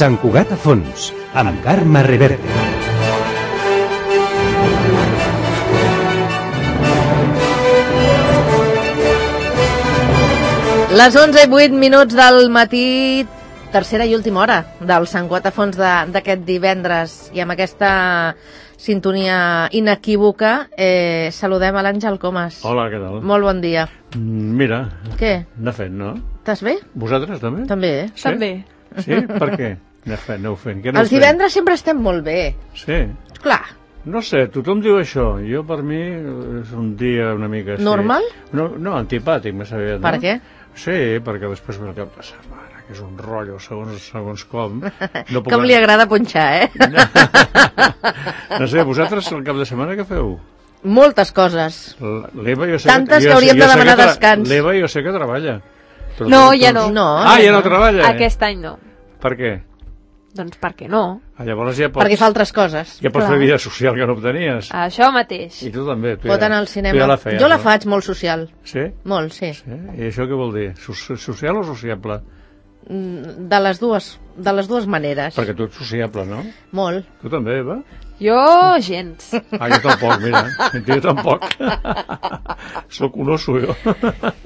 Sant Cugat a fons, amb Carme Reverte. Les 11:08 del matí, tercera i última hora del Sant Cugat a fons d'aquest divendres. I amb aquesta sintonia inequívoca saludem a l'Àngel Comas. Hola, què tal? Molt bon dia. Mira, què? anar fent, no? Estàs bé? Vosaltres també? També, Sí? També. Sí? Per què? Aneu fent. Què Els divendres sempre estem molt bé. Sí? Clar. No sé, tothom diu això. Jo, per mi, és un dia una mica així. Normal? No, antipàtic, més aviat, no? Per què? Sí, perquè després ve el cap de setmana, que és un rotllo segons com. No puc Com li agrada punxar, No sé, vosaltres el cap de setmana què feu? Moltes coses. L'Eva, jo sé Tantes que hauríem de demanar descans. L'Eva jo sé que treballa. No, ja no. Ja no treballa? Aquest any no. Per què? Doncs perquè no. Llavors ja pots... Perquè fa altres coses. Ja pots fer vida social que no obtenies. Això mateix. I tu també. Pot anar al cinema. Jo la faig molt social. Sí? Molt, sí. I això què vol dir? Social o sociable? De les dues maneres. Perquè tu ets sociable, no? Molt. Tu també, Eva? Jo, gens. Jo tampoc, mira. Jo tampoc. Soc un oso, jo.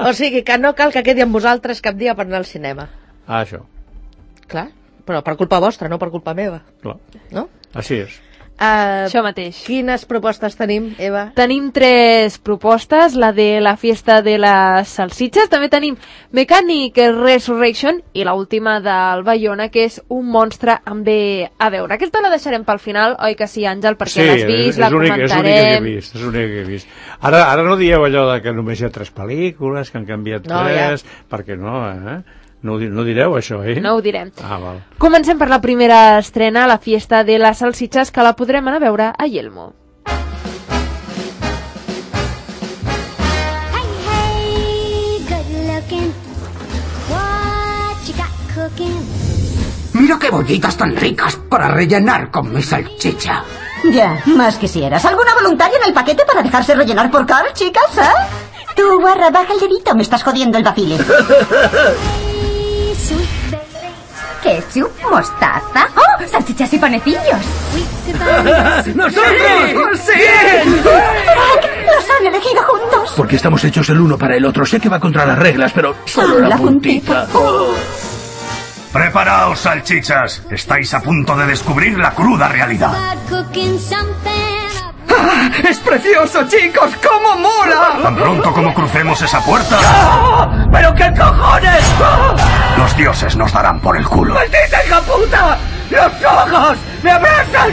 O sigui, que no cal que quedi amb vosaltres cap dia per anar al cinema. Això. Clar, però per culpa vostra, no per culpa meva. Clar. No? Així és. Això mateix. Quines propostes tenim, Eva? Tenim 3 propostes, la de la fiesta de les salsitxes, també tenim Mechanic Resurrection i l'última del Bayona, que és un monstre amb bé a veure. Aquesta la deixarem pel final, oi que sí, Àngel? Perquè l'has vist, la comentarem. És l'única que he vist. Ara no dieu allò de que només hi ha 3 pel·lícules, que han canviat 3, perquè no, No direu això, No ho direm. Val. Comencem per la primera estrena, la fiesta de les salsitxes, que la podrem anar a veure a Yelmo. Mira qué bollitas tan ricas para rellenar con mi salchicha. Ya, más quisieras. ¿Alguna voluntaria en el paquete para dejarse rellenar por Carl, chicas, Tú, guarra, baja el dedito, me estás jodiendo el vacile. ¿Ketchup? ¿Mostaza? ¡Oh! ¡Salchichas y panecillos! ¡Nosotros! ¡Sí! ¡Los han elegido juntos! Porque estamos hechos el uno para el otro. Sé que va contra las reglas, pero solo la puntita. Preparaos, salchichas. Estáis a punto de descubrir la cruda realidad. ¡Ah! ¡Es precioso, chicos! ¡Cómo mola! Tan pronto como crucemos esa puerta... ¡Ah! ¡Pero qué cojones! ¡Ah! Los dioses nos darán por el culo. ¡Maldita hija puta! ¡Los ojos! ¡Me abrazan!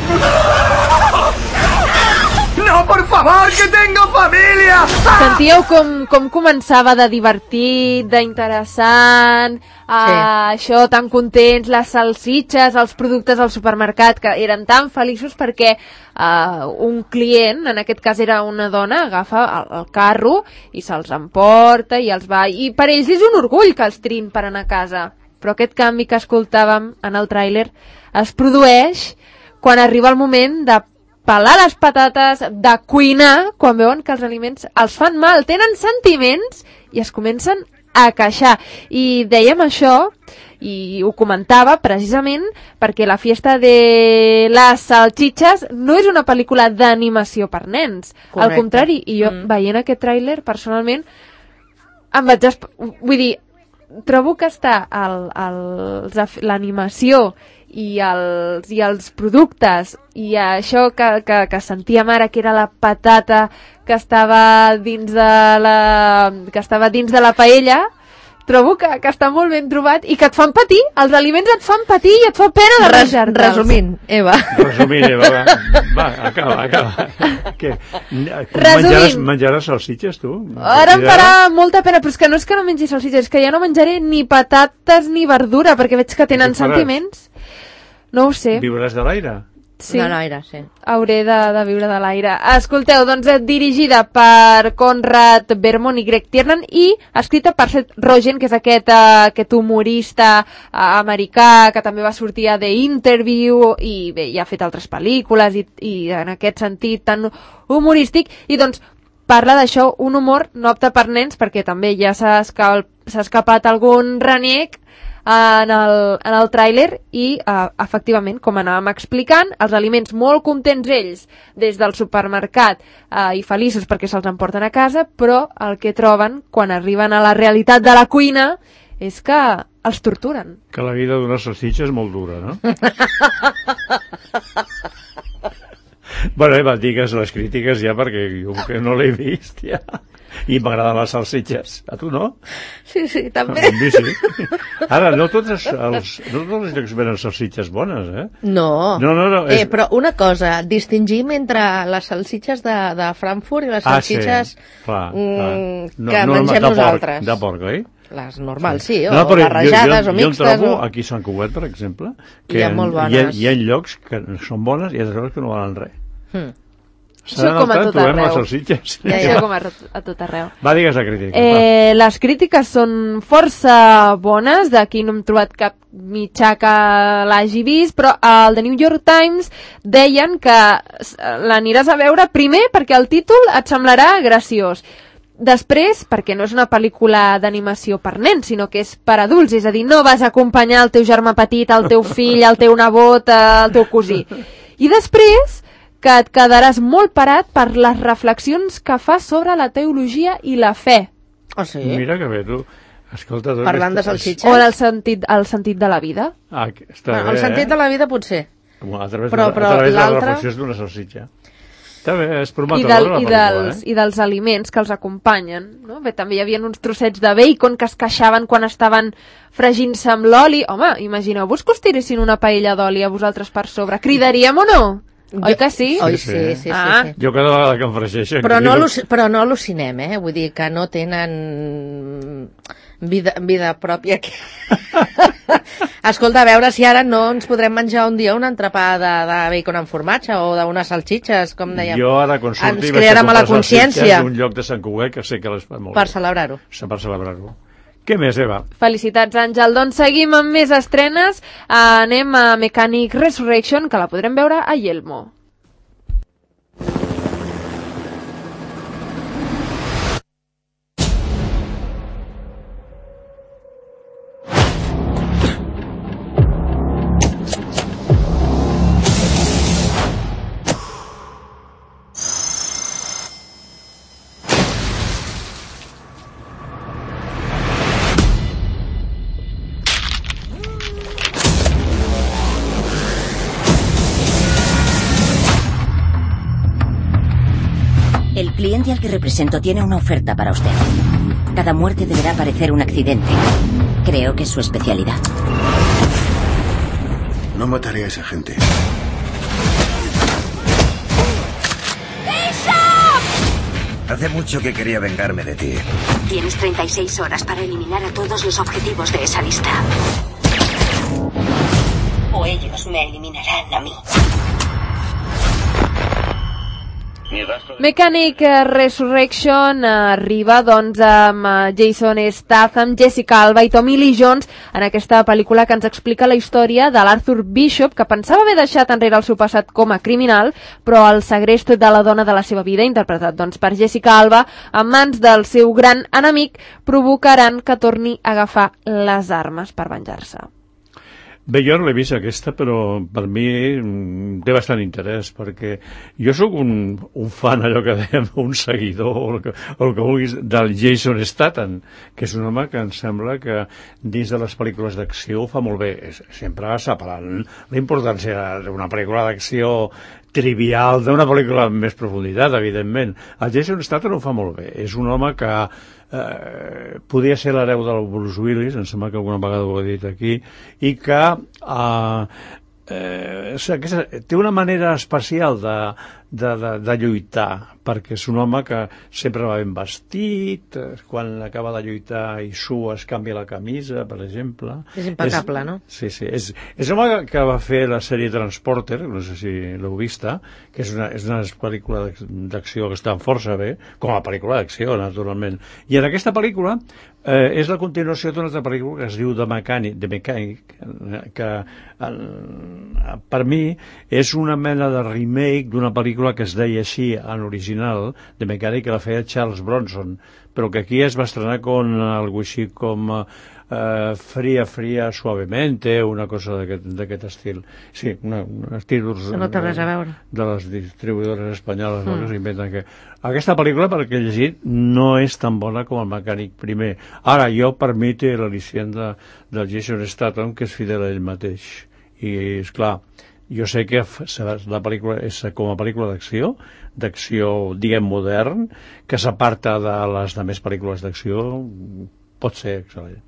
No, por favor, que tengo família! Sentíeu com començava de divertit, d'interessant, això, tan contents, les salsitxes, els productes al supermercat, que eren tan feliços perquè un client, en aquest cas era una dona, agafa el carro i se'ls emporta i els va... I per ells és un orgull que els trin per anar a casa. Però aquest canvi que escoltàvem en el tràiler es produeix quan arriba el moment de pelar les patates, de cuinar, quan veuen que els aliments els fan mal, tenen sentiments i es comencen a queixar. I dèiem això, i ho comentava precisament perquè la fiesta de les salchichas no és una pel·lícula d'animació per nens. Correcte. Al contrari, i jo veient aquest tràiler, personalment, em vaig... Vull dir, trobo que està l'animació i els productes i això que sentíem ara, que era la patata que estava dins de la paella, trobo que està molt ben trobat i que et fan patir, els aliments et fan patir i et fa pena de menjar-te'ls. Resumint, Eva, va, acaba. Què? Menjaràs salsitxes, tu? Ara em farà molta pena, però és que no mengi salsitxes, és que ja no menjaré ni patates ni verdura, perquè veig que tenen sentiments. No ho sé. Viuràs de l'aire? Sí. De l'aire, sí. Hauré de viure de l'aire. Escolteu, doncs dirigida per Conrad Vermont i Greg Tiernan i escrita per Seth Rogen, que és aquest humorista americà que també va sortir a The Interview i bé, ja ha fet altres pel·lícules i en aquest sentit tan humorístic, i doncs parla d'això, un humor no apte per nens, perquè també ja s'ha escapat algun reniec en el tràiler i, efectivament, com anàvem explicant, els aliments molt contents ells des del supermercat i feliços perquè se'ls emporten a casa, però el que troben quan arriben a la realitat de la cuina és que els torturen. Que la vida d'una salsitxa és molt dura, no? Bueno, digues les crítiques ja, perquè jo que no l'he vist ja. I m'agraden les salsitxes. A tu no? Sí, també. A mi sí. Ara, no tots els llocs venen salsitxes bones, eh? No. Però una cosa, distingim entre les salsitxes de Frankfurt i les salsitxes que mengem nosaltres. De porc, oi? Les normals, sí, o barrejades o mixtes. Jo trobo aquí a Sant Cugat, per exemple, que hi ha llocs que són bones i altres llocs que no valen res. Això com a tot arreu. Això com a tot arreu. Va, digues la crítica. Les crítiques són força bones, d'aquí no hem trobat cap mitjà que l'hagi vist, però al The New York Times deien que l'aniràs a veure primer perquè el títol et semblarà graciós. Després, perquè no és una pel·lícula d'animació per nens, sinó que és per adults, és a dir, no vas acompanyar el teu germà petit, el teu fill, el teu nebot, el teu cosí. I després, que et quedaràs molt parat per les reflexions que fa sobre la teologia i la fe. Oh, sí? Mira que bé, tu. Escolta, parlant de salsitxes? O el sentit de la vida. Està bé, el sentit de la vida potser. A través de les reflexions d'una salsitxa. Està bé, és prometedora la pel·lícula, I dels aliments que els acompanyen, no? Bé, també hi havia uns trossets de bacon que es queixaven quan estaven fregint-se amb l'oli. Home, imagineu-vos que us tiressin una paella d'oli a vosaltres per sobre. Cridaríem o no? Oi que sí? Oi, sí. Jo cada vegada que em fregeixen... Però no al·lucinem, Vull dir que no tenen vida pròpia. Escolta, a veure si ara no ens podrem menjar un dia un entrepà de bacon amb formatge o d'unes salsitxes, com dèiem. Jo ara consulti ens crearà mala consciència d'un lloc de Sant Cugat que sé que les fa molt per celebrar-ho. Per celebrar-ho. Què més, Eva? Felicitats, Àngel. Doncs seguim amb més estrenes. Anem a Mechanic Resurrection, que la podrem veure a Yelmo. El cliente al que represento tiene una oferta para usted. Cada muerte deberá parecer un accidente. Creo que es su especialidad. No mataré a esa gente. Hace mucho que quería vengarme de ti. Tienes 36 horas para eliminar a todos los objetivos de esa lista. O ellos me eliminarán a mí. Mechanic Resurrection arriba doncs amb Jason Statham, Jessica Alba i Tommy Lee Jones en aquesta pel·lícula que ens explica la història de l'Arthur Bishop, que pensava haver deixat enrere el seu passat com a criminal, però el segrest de la dona de la seva vida, interpretat doncs per Jessica Alba, en mans del seu gran enemic, provocaran que torni a agafar les armes per venjar-se. Bé, jo no l'he vist aquesta, però per mi té bastant interès, perquè jo sóc un fan, allò que dèiem, un seguidor, o el que vulguis, del Jason Statham, que és un home que em sembla que dins de les pel·lícules d'acció ho fa molt bé. Sempre separant la importància d'una pel·lícula d'acció trivial d'una pel·lícula amb més profunditat, evidentment. El Jason Statham ho fa molt bé. És un home que podia ser l'hereu del Bruce Willis, em sembla que alguna vegada ho he dit aquí, i que té una manera especial de lluitar, perquè és un home que sempre va ben vestit, quan acaba de lluitar i sua es canvia la camisa, per exemple. És impecable, no? Sí. És un home que va fer la sèrie Transporter, no sé si l'heu vista, que és una pel·lícula d'acció que està força bé, com a pel·lícula d'acció, naturalment. I en aquesta pel·lícula és la continuació d'una altra pel·lícula que es diu The Mechanic, que per mi és una mena de remake d'una pel·lícula pel·lícula que es deia així en original, de mecànic, que la feia Charles Bronson, però que aquí es va estrenar con algo així com Fría, Suavemente, una cosa d'aquest estil. Sí, uns títols no té res a veure. De les distribuïdores espanyoles que s'inventen que... Aquesta pel·lícula, perquè he llegit, no és tan bona com el mecànic primer. Ara, jo, per mi, té l'al·licient del Jason Statham, que és fidel a ell mateix. I, esclar, jo sé que la pel·lícula és com a pel·lícula d'acció, diguem, modern, que s'aparta de les demés pel·lícules d'acció, pot ser excel·lent.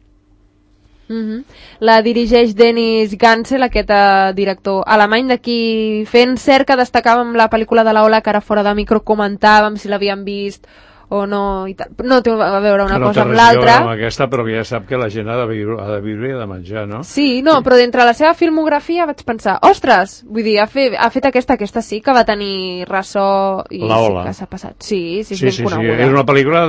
La dirigeix Dennis Gansel, aquest director alemany, d'aquí fent cerca destacàvem la pel·lícula de la Ola, que ara fora de micro comentàvem si l'havien vist o no, i tal. No té a veure una cosa amb l'altra. Amb aquesta, però ja sap que la gent ha de viure i ha de menjar, no? Sí, no, però d'entre la seva filmografia vaig pensar, ostres, vull dir, ha fet aquesta sí que va tenir ressò i la sí Ola. Que s'ha passat. Sí, és ben coneguda. És una pel·lícula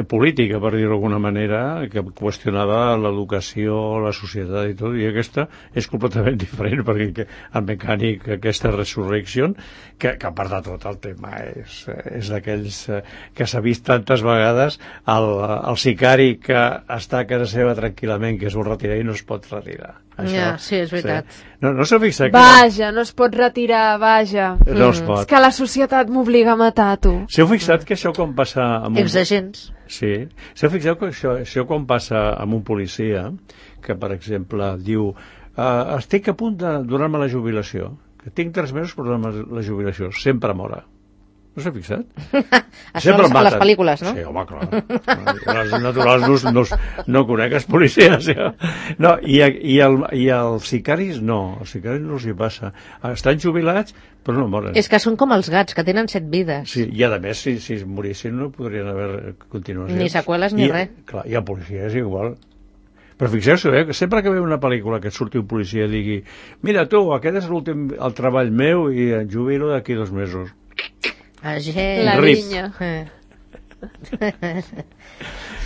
política, per dir-ho d'alguna manera, que qüestionava l'educació, la societat i tot, i aquesta és completament diferent, perquè el mecànic, aquesta Resurrection, que a part de tot el tema és d'aquells que s'ha vist tantes vegades el sicari que està a casa seva tranquil·lament, que es vol retirar i no es pot retirar. Això, sí, és veritat. Sí. No s'ha fixat Vaja, no es pot retirar, vaja. No es pot. És que la societat m'obliga a matar, tu. S'heu fixat que això quan passa amb Exagents. Sí. S'heu fixat que això quan passa amb un policia, que per exemple diu estic a punt de donar-me la jubilació, que tinc 3 mesos per donar-me la jubilació, sempre mora. No s'ha fixat? Això a les pel·lícules, no? Sí, home, clar. Les naturals no conec els policies. No, i els sicaris no. Els sicaris no els hi passa. Estan jubilats, però no moren. És que són com els gats, que tenen 7 vides. Sí, i a més, si es morissin no podrien haver continuacions. Ni seqüeles ni res. Clar, i el policia és igual. Però fixeu-vos, que sempre que veu una pel·lícula que et surti un policia i digui mira tu, aquest és el treball meu i em jubilo d'aquí 2 mesos. La vinya.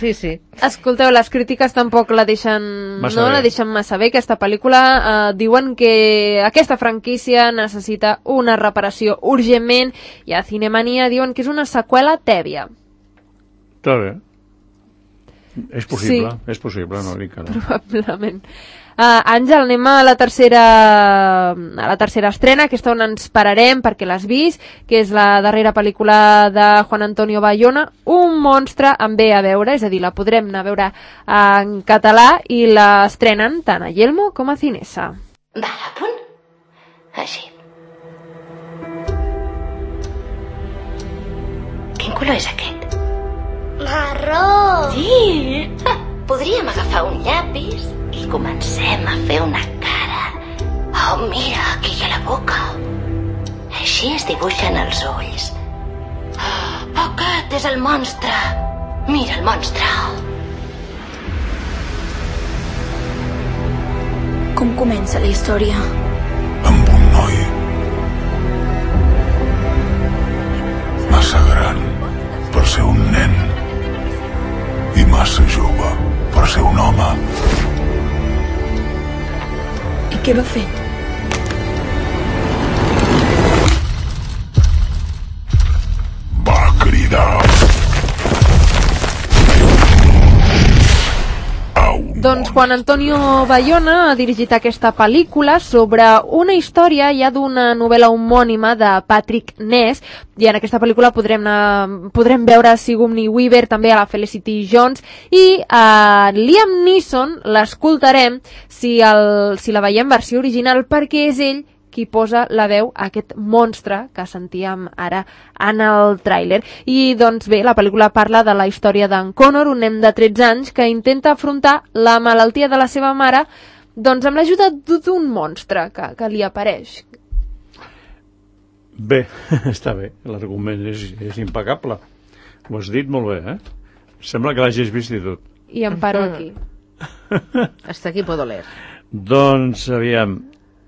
Sí, sí. Escolteu, les crítiques tampoc la deixen massa bé. Aquesta pel·lícula diuen que aquesta franquícia necessita una reparació urgentment i a Cinemania diuen que és una seqüela tèbia. Està bé. És possible, no dic que no. Probablement. Àngel, anem a la tercera estrena, aquesta on ens pararem perquè l'has vist, que és la darrera pel·lícula de Juan Antonio Bayona, Un monstre amb B a veure, és a dir, la podrem anar a veure en català i l'estrenen tant a Yelmo com a Cinesa. Va a punt? Així. Quin color és aquest? Marró! Sí! Podríem agafar un llapis i comencem a fer una cara. Oh, mira, aquí hi ha la boca. Així es dibuixen els ulls. Oh, aquest és el monstre. Mira el monstre. Com comença la història? Amb un noi massa gran per ser un nen i massa jove per ser un home. I què va fer? Va cridar. Doncs Juan Antonio Bayona ha dirigit aquesta pel·lícula sobre una història ja d'una novel·la homònima de Patrick Ness, i en aquesta pel·lícula podrem veure Sigourney Weaver, també a la Felicity Jones, i Liam Neeson l'escoltarem si la veiem versió original, perquè és ell qui posa la veu a aquest monstre que sentíem ara en el tràiler. I doncs bé, la pel·lícula parla de la història d'en Connor, un nen de 13 anys que intenta afrontar la malaltia de la seva mare doncs amb l'ajuda d'un monstre que li apareix. Bé, està bé, l'argument és impecable. Ho has dit molt bé, Sembla que l'hagis vist i tot. I em paro aquí. Hasta aquí puedo leer. Doncs, aviam,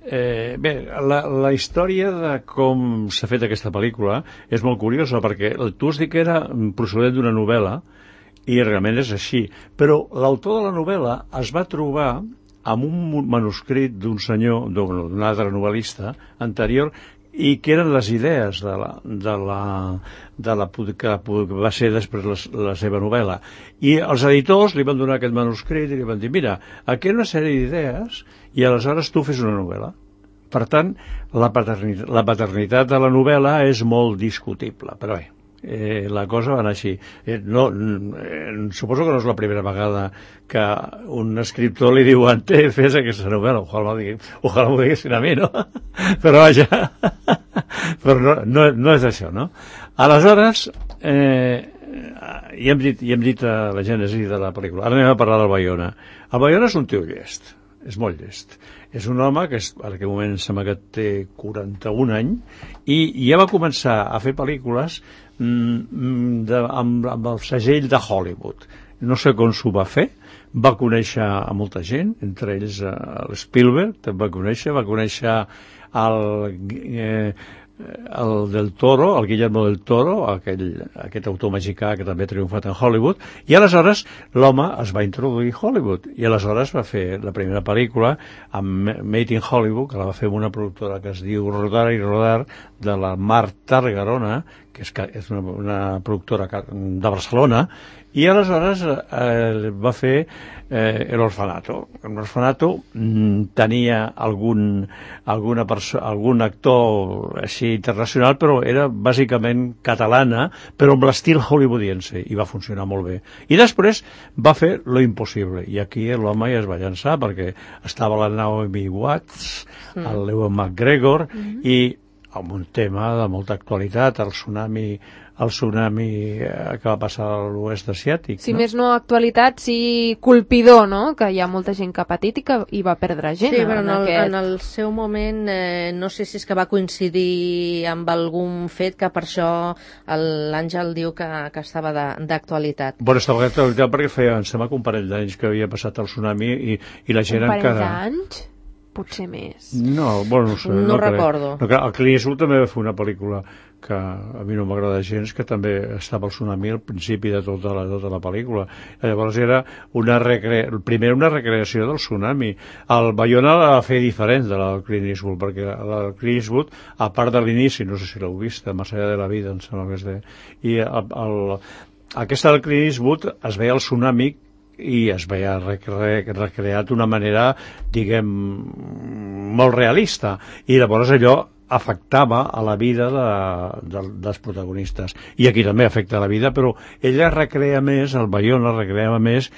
bé, la història de com s'ha fet aquesta pel·lícula és molt curiosa, perquè tu has dit que era procedent d'una novel·la i realment és així, però l'autor de la novel·la es va trobar amb un manuscrit d'un senyor, d'un altre novel·lista anterior, i que eren les idees que va ser després la seva novel·la. I els editors li van donar aquest manuscrit i li van dir, mira, aquí hi ha una sèrie d'idees i aleshores tu fes una novel·la. Per tant, la paternitat de la novel·la és molt discutible, però bé, la cosa va anar així. Suposo que no és la primera vegada que un escriptor li diuen fes aquesta novel·la, ojalà m'ho diguessin a mi, no? Però vaja, però no és això, no? Aleshores, ja hem dit la gènesi de la pel·lícula. Ara anem a parlar del Bayona. El Bayona és un tio llest, és molt llest. És un home que en aquell moment sembla que té 41 anys i ja va començar a fer pel·lícules amb el segell de Hollywood. No sé com s'ho va fer, va conèixer a molta gent, entre ells l'Spielberg, va conèixer el del Toro, el Guillermo del Toro, aquest autor mexicà que també ha triomfat en Hollywood, i aleshores l'home es va introduir a Hollywood, i aleshores va fer la primera pel·lícula amb Made in Hollywood, que la va fer amb una productora que es diu Rodar i Rodar, de la Mar Targarona, que és una productora de Barcelona, i aleshores va fer El Orfanato. L'Orfanato tenia algun actor així internacional, però era bàsicament catalana, però amb l'estil hollywoodiense, i va funcionar molt bé. I després va fer Lo Impossible, i aquí l'home ja es va llançar, perquè estava la Naomi Watts, el Ewan McGregor, i amb un tema de molta actualitat, el tsunami que va passar a l'oest asiàtic. Si més no actualitat, sí colpidor, no? Que hi ha molta gent que ha patit i que hi va perdre gent. Sí, però en el seu moment, no sé si és que va coincidir amb algun fet que per això l'Àngel diu que estava d'actualitat. Bueno, estava d'actualitat perquè feia, em sembla que un parell d'anys que havia passat el tsunami i la gent encara... Un parell d'anys? Potser més. No, bueno, no sé. No recordo. El Clint Eastwood també va fer una pel·lícula que a mi no m'agrada gens, que també estava el tsunami al principi de tota la pel·lícula. Llavors era primer una recreació del tsunami. El Bayona la va fer diferent de la del Clint Eastwood, perquè la del Clint Eastwood, a part de l'inici, no sé si l'heu vist, Más allá de la vida, em sembla que és de... I aquesta del Clint Eastwood es veia el tsunami i es veia recreat d'una manera, diguem, molt realista, i llavors allò afectava a la vida dels protagonistes, i aquí també afecta la vida, però ella recrea més, el Bayona recreava més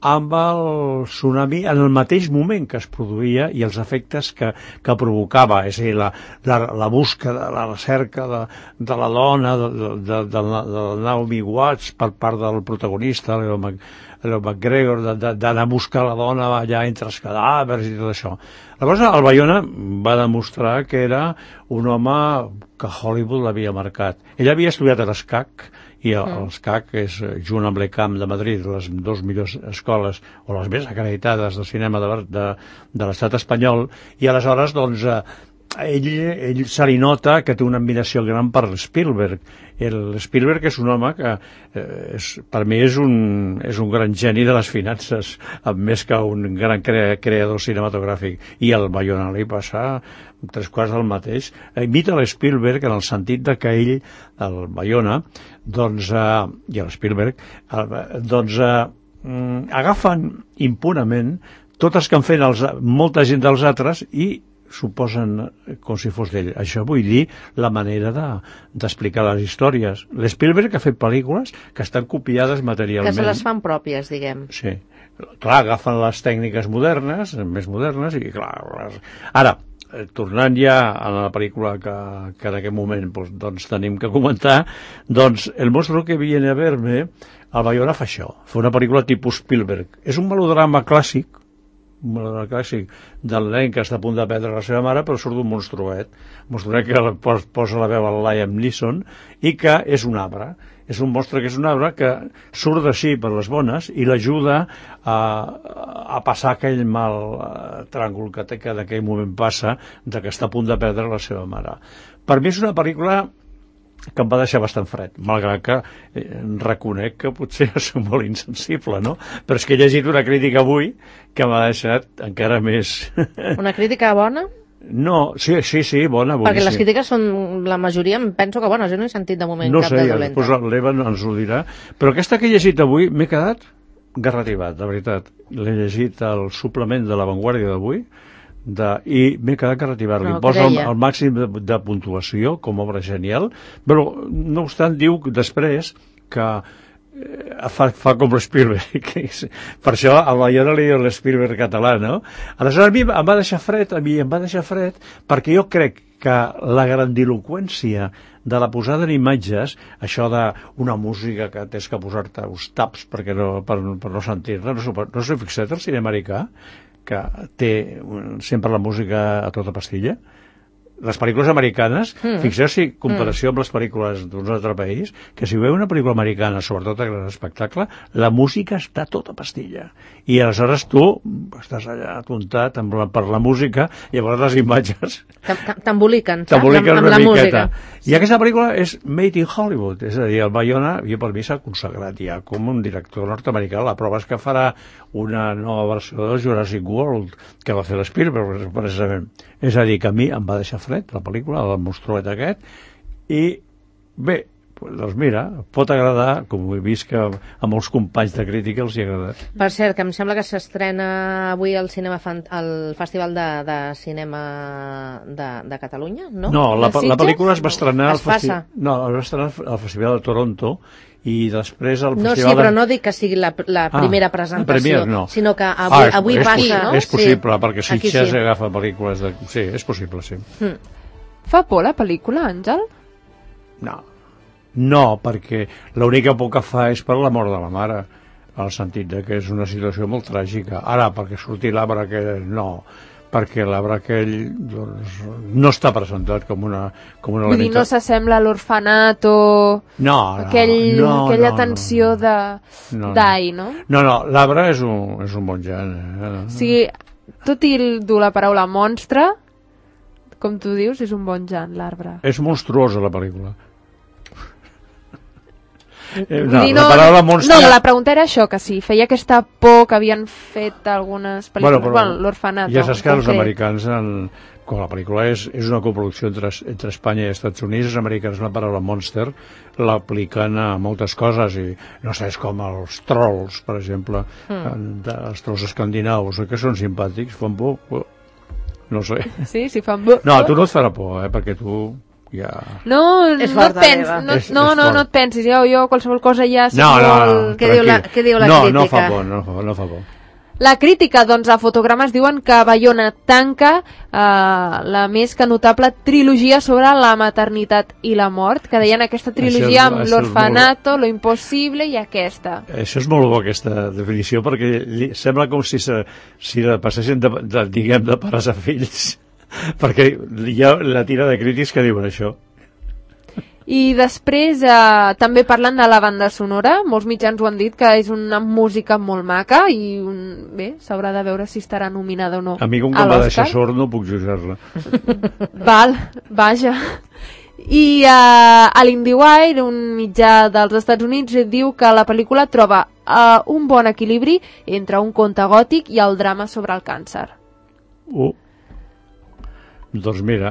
amb el tsunami en el mateix moment que es produïa i els efectes que provocava, és a dir, la búsqueda, la recerca de la dona, de Naomi Watts per part del protagonista, el McGregor, d'anar a buscar la dona allà entre els cadàvers i tot això. Llavors el Bayona va demostrar que era un home que Hollywood l'havia marcat. Ell havia estudiat a l'ESCAC, i l'ESCAC és, junt amb l'ECAM de Madrid, les dues millors escoles o les més acreditades de cinema de l'estat espanyol, i aleshores doncs ell se li nota que té una admiració gran per Spielberg. Spielberg és un home que per mi és un gran geni de les finances, més que un gran creador cinematogràfic, i el Bayona li passa 3/4 del mateix. Imita l'Spielberg en el sentit de que ell, el Bayona, i l'Spielberg, agafen impunament tots els que han fet molta gent dels altres i suposen com si fos d'ell. Això vull dir la manera d'explicar les històries. L'Spielberg ha fet pel·lícules que estan copiades materialment. Que se les fan pròpies, diguem. Sí. Clar, agafen les tècniques modernes, més modernes, i clar... Ara, tornant ja a la pel·lícula que en aquest moment doncs tenim que comentar, doncs El monstruo que viene a verme, el Bayona fa això, fa una pel·lícula tipus Spielberg. És un melodrama clàssic del nen que està a punt de perdre la seva mare, però surt d'un monstruet que posa la veu al Liam Neeson, i que és un arbre. És un monstre que és un arbre que surt d'ací per les bones i l'ajuda a passar aquell mal tràngol que en aquell moment passa, de que està a punt de perdre la seva mare. Per mi és una pel·lícula que em va deixar bastant fred, malgrat que reconec que potser soc molt insensible, no? Però és que he llegit una crítica avui que m'ha deixat encara més... Una crítica bona? No, sí, bona, boníssima. Perquè les crítiques són, la majoria, penso que bones, jo no he sentit de moment cap de dolenta. No sé, després l'Eva ens ho dirà. Però aquesta que he llegit avui m'he quedat garrativat, de veritat. L'he llegit al suplement de La Vanguardia d'avui i m'he quedat garrativat. Li posa el màxim de puntuació com a obra genial, però no obstant diu després que fa com l'Spielberg. Per això a la jo no li diu l'Spielberg català, no? Aleshores a mi em va deixar fred perquè jo crec que la grandiloqüència de la posada en imatges, això d'una música que tens que posar-te uns taps per no sentir-la, no s'ho fixat el cine americà, que té sempre la música a tota pastilla? Les pel·lícules americanes, fixeu-vos en comparació amb les pel·lícules d'un altre país, que si veu una pel·lícula americana, sobretot a gran espectacle, la música està tota pastilla. I aleshores tu estàs allà apuntat per la música i llavors les imatges t'emboliquen amb la música. I aquesta pel·lícula és Made in Hollywood, és a dir, el Bayona, jo per mi s'ha consagrat ja com un director nord-americà. La prova és que farà una nova versió del Jurassic World, que va fer l'Spielberg, precisament. És a dir, que a mi em va deixar fred la pel·lícula, el monstruet aquest, i bé, doncs mira, pot agradar, com he vist que a molts companys de crítica els hi ha agradat. Per cert, que em sembla que s'estrena avui al Festival de Cinema de Catalunya, no? No, la pel·lícula es va estrenar al Festival de Toronto i després al Festival... No, sí, però no dic que sigui la primera presentació, sinó que avui passa, no? És possible, perquè Sitges agafa pel·lícules de... Sí, és possible, sí. Fa por la pel·lícula, Àngel? No, perquè l'única por que fa és per la mort de la mare, al sentit que és una situació molt tràgica. Ara, perquè surti l'arbre aquell, no, perquè l'arbre aquell no està presentat com un element... Vull dir, no s'assembla a l'orfanat o aquella tensió d'ai, no? No, l'arbre és un bon gènere. O sigui, tot i dur la paraula monstre, com tu dius, és un bon gènere, l'arbre. És monstruosa la pel·lícula. La pregunta era això, que si feia aquesta por que havien fet algunes pel·lícules, l'orfanat. Ja saps que els americans, quan la pel·lícula és una coproducció entre Espanya i Estats Units, els americans la paraula monster l'apliquen a moltes coses, i no sé, és com els trolls, per exemple, els trolls escandinaus, que són simpàtics, fan por, no sé. Sí, fan por. No, a tu no et farà por, perquè tu... Ja... No et pensis, jo qualsevol cosa ja... Què diu la crítica? No fa por. La crítica, doncs, a Fotogrames diuen que Bayona tanca la més que notable trilogia sobre la maternitat i la mort, que deien aquesta trilogia amb l'orfanato, lo impossible i aquesta. Això és molt bo, aquesta definició, perquè sembla com si la passessin de pares a fills. Perquè hi ha la tira de crítics que diuen això. I després també parlen de la banda sonora, molts mitjans ho han dit, que és una música molt maca i bé, s'haurà de veure si estarà nominada o no. A mi com que em va deixar sord no puc jutjar-la. Vaja. I a l'IndieWire, un mitjà dels Estats Units, diu que la pel·lícula troba un bon equilibri entre un conte gòtic i el drama sobre el càncer. Doncs mira,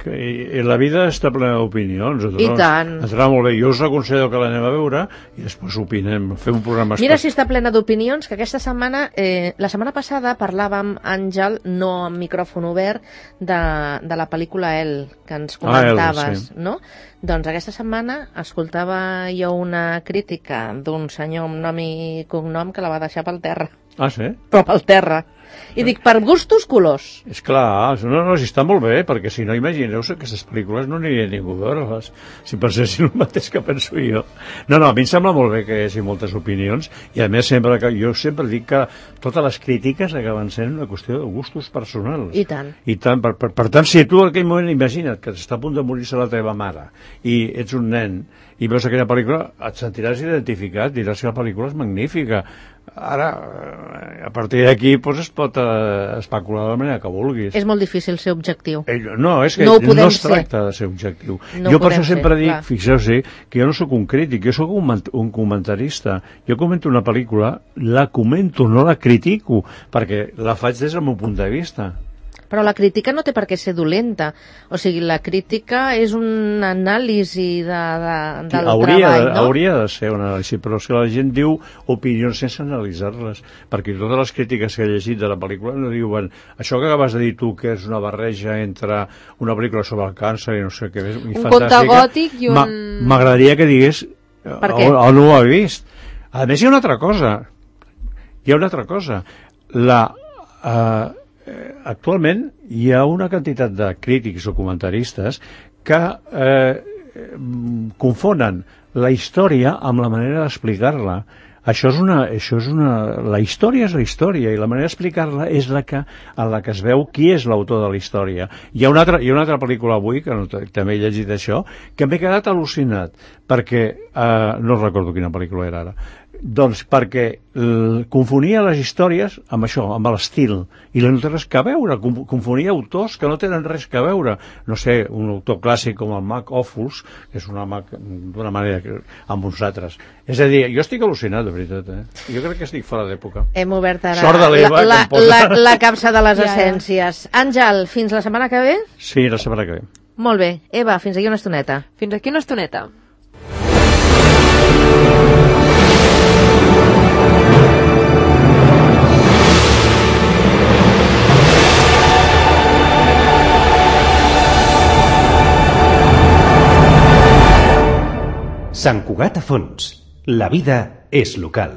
la vida està plena d'opinions. I tant. Estarà molt bé. Jo us aconsello que l'anem a veure i després opinem, fem un programa especial. Mira si està plena d'opinions, que aquesta setmana, la setmana passada parlàvem, Àngel, no amb micròfon obert, de la pel·lícula El, que ens comentaves, no? Doncs aquesta setmana escoltava jo una crítica d'un senyor amb nom i cognom que la va deixar pel terra. Ah, sí? Però pel terra. I dic, per gustos, colors. És clar, si està molt bé, perquè si no, imagineu-se que aquestes pel·lícules no aniria ningú a veure-les, si pensessin el mateix que penso jo. No, a mi em sembla molt bé que hi hagi moltes opinions, i a més jo sempre dic que totes les crítiques acaben sent una qüestió de gustos personals. I tant. Per tant, si tu en aquell moment imagina't que està a punt de morir-se la teva mare, i ets un nen, i veus aquella pel·lícula, et sentiràs identificat, diràs que la pel·lícula és magnífica. Ara, a partir d'aquí es pot especular de la manera que vulguis. És molt difícil ser objectiu. No, és que no es tracta de ser objectiu. Jo per això sempre dic, fixeu-vos, que jo no sóc un crític, jo sóc un comentarista. Jo comento una pel·lícula, la comento, no la critico, perquè la faig des del meu punt de vista. Però la crítica no té per què ser dolenta. O sigui, la crítica és un anàlisi del treball, no? Hauria de ser una anàlisi, però si la gent diu opinions sense analitzar-les, perquè totes les crítiques que he llegit de la pel·lícula no diuen això que acabes de dir tu, que és una barreja entre una pel·lícula sobre el càncer i no sé què més, un conte gòtic i un... M'agradaria que digués on ho ha vist. A més, hi ha una altra cosa. Actualment hi ha una quantitat de crítics o comentaristes que confonen la història amb la manera d'explicar-la. La història és la història i la manera d'explicar-la és en la que es veu qui és l'autor de la història. Hi ha una altra pel·lícula avui, que també he llegit això, que m'he quedat al·lucinat, perquè no recordo quina pel·lícula era ara. Doncs perquè confonia les històries amb això, amb l'estil, i no té res que veure, confonia autors que no tenen res que veure. No sé, un autor clàssic com el Mac Ophuls, que és una Mac d'una manera amb uns altres. És a dir, jo estic al·lucinat, de veritat, Jo crec que estic fora d'època. Hem obert ara la capsa de les essències. Àngel, fins la setmana que ve? Sí, la setmana que ve. Molt bé. Eva, fins aquí una estoneta. Fins aquí una estoneta. Sant Cugat a Fons. La vida és local.